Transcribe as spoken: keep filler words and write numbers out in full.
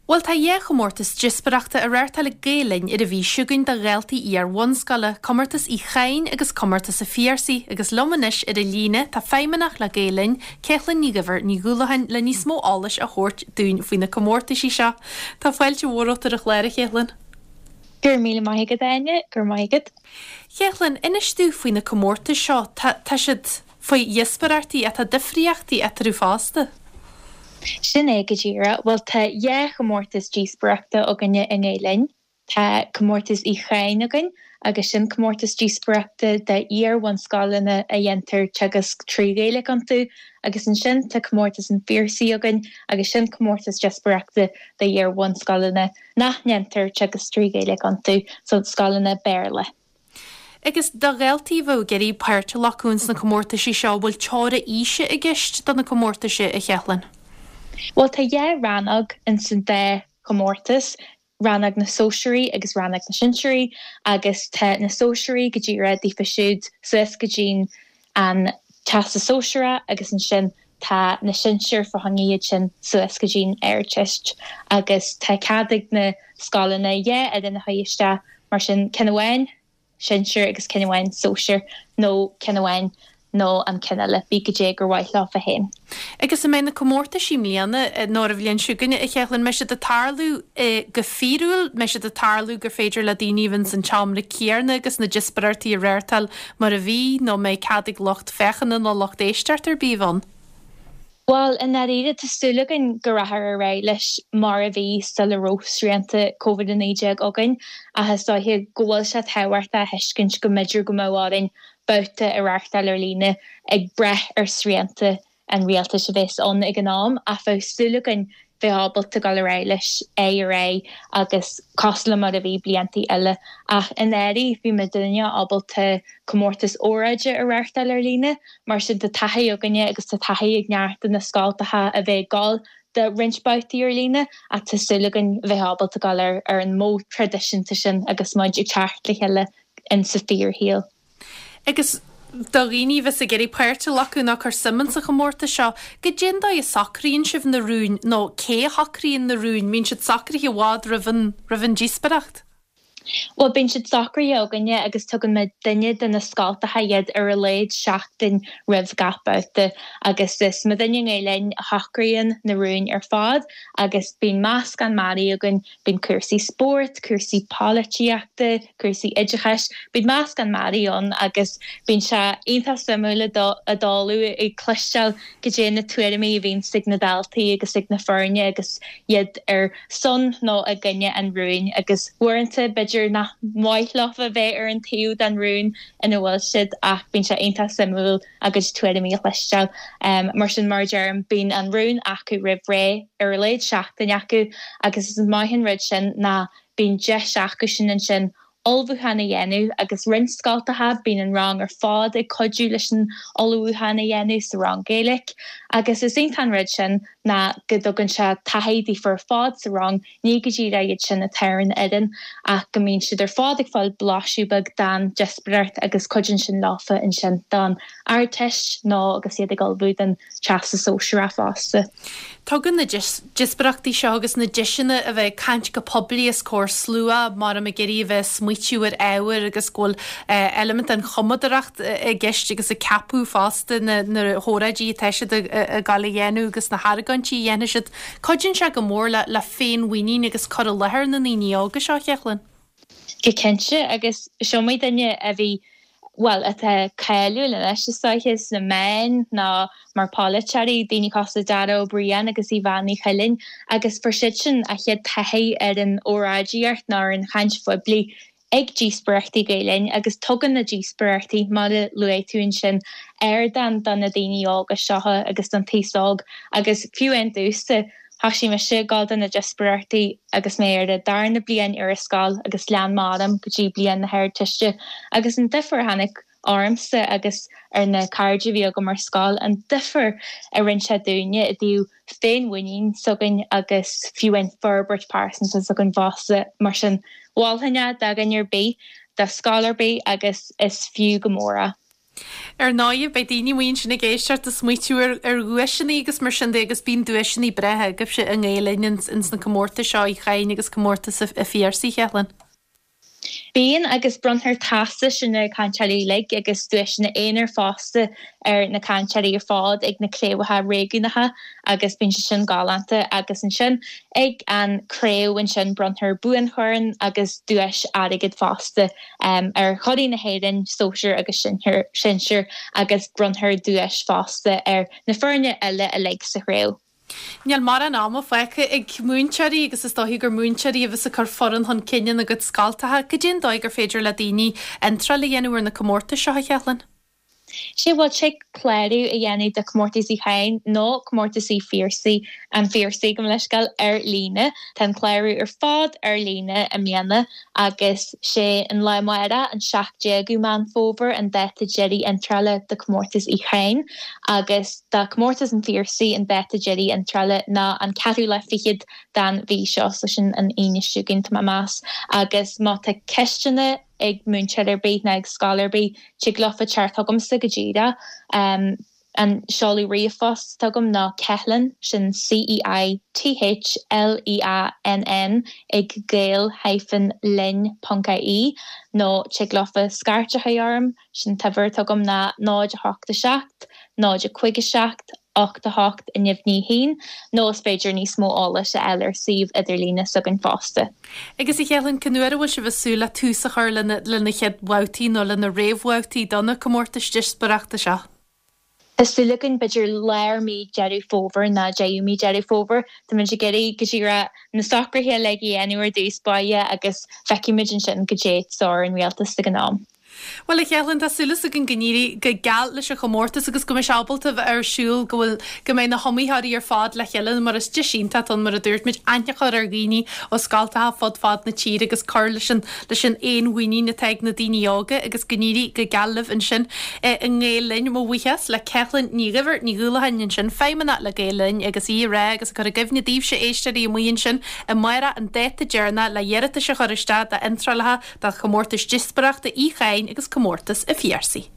Bhuel tá dhá chomórtas díospóireachta á reáchtáil ag Gael Linn ar an mhí seo chugainn do dhaltaí iar-bhunscoile, comórtas Uí Chadhain agus comórtas an Phiarsaigh agus liom anois ar an líne tá feidhmeannach le Gael Linn, Céalann Ní Dhuibhir Ní Dhúlacháin le níos mó eolais a thabhairt dúinn faoi na comórtaisí seo. Tá fáilte mhór romhat ar an chlár a Chéalann. Gur míle maith agat Áine gur maith agat. Chéalann inis dúinn faoi na comórtais seo tá siad faoi dhíospóireachtaí atá difríochtaí eatarthu fosta. Sin é go díreach, bhuel tá dhá chomórtas díospóireachta againne i nGael Linn. Tá comórtas Uí Chadhain againn agus sin comórtas díospóireachta d'iar-bhunscoileanna a dhéantar teagasc trí Ghaeilge iontu, agus ansin tá comórtas an Phiarsaigh againn agus sin comórtas díospóireachta d'iar-bhunscoileanna nach ndéantar teagasc trí Ghaeilge iontu, so scoileanna Béarla. Agus do dhaltaí bheith ag iarraidh páirt a ghlacadh sna comórtaisí seo bhfuil teora aoise i gceist do na comórtaisí a Chéalann. Well tá dhá rannóg in san dá chomórtas, rannóg na sóisearaí agus rannóg na sinsearaí agus tá na sóisearaí go díreach daofa siúd suas go dtí an Teastas Sóisearach agus ansin tá na sinsir fá choinne iad sin suas go dtí an Ardteist agus tá cead ag na scoileanna dhá fhoireann a chur isteach mar sin ceann amháin sinsir agus ceann amháin sóisir nó ceann amháin nó an ceann eile bí go dé gur mhaith leofa féin. Agus an mbeidh na comórtaisí i mbliana nó an bhliain seo chugainn a Chéalann mbeidh siad ag tarlú go fíorúil mbeidh siad ag tarlú gur féidir le daoine bheith san tseomra céanna agus na díospóireachtaí a reáchtáil mar a bhí nó mbeidh cead ag lucht féachana nó lucht éisteachta ar bith ann. Well i ndáiríre tá súil againn go rachfar ar aghaidh leis mar a bhí sula raibh srianta COVID a naoi déag againn ach is dóiche go bhfuil sé tábhachtach a thuiscint go mb'fhéidir go mbeadh orainn babhta a reáchtáil ar líne ag brath ar srianta an rialtais a bheas ann ag an am ach bheadh súil againn bheith ábalta dul ar aghaidh leis é ar aghaidh agus cosúil le mar a bhí blianta eile ach in éirí bhí muidinne ábalta comórtas óráide a reáchtáil ar líne mar sin tá taithí againne agus tá taithí ag neart de na scoltacha a bheith ag dul do roinnt babhtaí ar líne ach tá súil againn bheith ábalta dul ar ar an modh traidisiúnta sin agus muid ag teacht le chéile in sa fíorshaol. Agus do dhaoine bheas ag iarraidh páirt a ghlacadh nó cur suim sa chomórtas seo, goidé an dóigh a socraíonn sibh na rúin nó cé a shocraíonn na rúin, mbíonn siad socraithe i bhfad roimh an roimh an díospoireacht. Well bíonn siad socraithe againne agus tugann muid duine de na scoltacha iad ar a laghad seachtain roimh gach babhta agus is muidinne i nGael Linn a shocraíonn na rúin ar fad agus bíonn meascán mearaí againn, bíonn cúrsaí spóirt, cúrsaí polaitíochta, cúrsaí oideachais, bíonn meascán mearaí ann agus bíonn sé iontach suimiúil a dtarlú ag cloisteáil goidé na tuairimí a bhíonn ag na daltaí agus ag na foirne agus iad ar son nó i gcoinne an rúin agus uaireanta b'fhéidir nach maith leofa bheith ar an taobh den rún ina bhfuil siad ach bíonn sé iontach suimiúil a gcuid tuairimí a chloisteáil. Um, mar sin mar deirim bíonn an rún acu roimh ré ar a laghad seachtain acu agus is maith an rud sin ná bíonn deis acu sin ansin ullmhúchán a dhéanamh agus roinnt scoltacha bíonn an rang ar fad ag cuidiú leis an ullmhúchán a dhéanamh sa rang Gaeilge agus is iontach an rud sin ná go dtugann sé taithí daofa ar fad sa rang ní go díreach iad sin atá ar an fhoireann ach go mbíonn siad ar fad ag fáil blaiseadh beag den díospóireacht agus cuidíonn sin leofa ansin don Ardteist nó agus iad ag ullmhú don Teastas Sóisearach fosta. Tugann na díospóireachtaí seo agus na deiseanna a bheith ag caint go poiblí os comhair slua mar am ag iarraidh a bheith smaoitiú ar ábhar agus go bhfuil eilimint den chumadóireacht i gceist agus ag ceapadh fosta na na hóráidí atá siad ag gabháil a dhéanamh agus na hargóintí a dhéanfaidh siad. Cuidíonn sé go mór le le féinmhuinín agus cur i láthair na ndaoine óga seo Chéalann. Go cinnte agus is iomaí duine a bhí well atá cáiliúil anois is dóiche sna meáin ná mar pholaiteoirí, daoine cosúil le Dara Ó Briain agus Yvonne Ní Chuilinn agus fuair siad sin a chéad taithí ar an óráidíocht nó ar an chaint phoiblí ag díospóireachtaí Gael Linn agus tugann na díospóireachtaí mar a luaigh tú ansin ardán do na daoine óga seo agus don taos óg agus fiú amháin domhsa thosaigh mise ag gabháil do na díospóireachtaí agus mé ar an darna bliain ar an scoil agus lean mé orm go dtí bliain na hArdteiste agus an difear a tháinig ormsa agus ar na cairde a bhí agam ar scoil an difear a rinne sé dúinne i dtaobh féinmhuinín s'againn agus fiú an forbairt pearsanta s'againn fosta mar sin mholfainn é do dhuine ar bith do scoil ar bith agus is fiú go mór é. Ar ndóigh, beidh daoine amuigh ansin ag éisteacht ag smaoitiú ar ar dhuaiseanna agus mar sin de agus bíonn duaiseanna breátha agaibhse i nGael Linn ins na comórtais seo Uí Chadhain agus comórtas a' Phiarsaigh, a Cheithlinn. Bíonn agus bronntar teastais ar na cainteoirí uilig agus duaiseanna aonair fosta ar na cainteoirí ar fad ag na craobhacha réigiúnacha agus bíonn sé sin galánta agus ansin ag an craobh ansin bronntar buanchorn agus duais airgid fosta ar churaidh na hÉireann, sóisir agus sinsir agus bronntar duais fosta ar na foirne eile uilig sa chraobh. Níl mórán ama fágtha ag múinteoirí agus is dóichí gur múinteoirí a bheas ag cur foireann chun cinn ina gcuid scoltacha. Cad é an dóigh gur féidir le daoine iontráil a dhéanamh ar na comórtais seo, a Cheithlinn? Sé bhuel tig clárú a dhéanamh do Comórtas Uí Chadhain nó Comórtas Uí Phiarsaigh, an Phiarsaigh gabh mo leithscéal, ar líne. Tá an clárú ar fad ar líne i mbliana agus sé an lá amárach an seacht déagú Meán Fómhair an dáta deiridh iontrála do Comórtas Uí Chadhain agus do Comórtas an Phiarsaigh an dáta deiridh iontrála ná an ceathrú lá fichead den mhí seo, so sin an Aoine seo chugainn tá mé ag meas agus má tá ceisteanna ag múinteoir ar bith ná ag scoil ar bith, tig leofa teacht chugamsa go díreach. An seoladh ríomhphost atá agam ná Ceithleann, sin C-E-I-T-H-L-E-A-N-N, ag gael hyphen linn ponc I-E, nó tig leofa scairt a chur orm, sin an t-uimhir atá agam ná náid a hocht a seacht, náid a cúig a seacht, ocht a hocht a neamhní a haon, nó is féidir níos mó eolais a fháil ar suíomh idirlíne s'againn fosta. Agus a Cheithleann, cén uair a bhfuil sibh ag súil le tús a chur lena lena chéad bhabhtaí nó lena réamhbhabhtaí do na comórtais díospóireachta seo? Tá súil againn b'fhéidir lár mí Deireadh Fómhair nó deireadh mí Deireadh Fómhair. Táimid ag iarraidh go díreach na socruithe uilig a dhéanamh ar dtús báire agus feicfimid ansin goidé sórt an rialtas ag an am. Bhuel, a Cheithleann, tá súil againn go n-éirí go geal leis an chomórtas agus go mbeidh sé ábalta bheith ar siúl, go bhfuil, go mbeidh na hiomaitheoirí ar fad le chéile mar is deis iontach atá ann, mar a dúirt muid, aithne a chur ar dhaoine ó scoltacha fud fad na tíre agus cur leis an, leis an fhéinmhuinín atá ag na daoine óga agus go n-éirí go geal libh ansin i nGael Linn. Mo bhuíochas le Ceithleann Ní Dhuibhir, Ní Dhúlacháin ansin, Feidhmeannach le Gael Linn agus í ag rá agus ag cur i gcuimhne daoibhse éisteoirí amuigh ansin amárach an dáta deireanach le hiarratais a chur isteach d'iontrálacha do chomórtais díospóireachta Uí Chadhain agus comórtas an Phiarsaigh.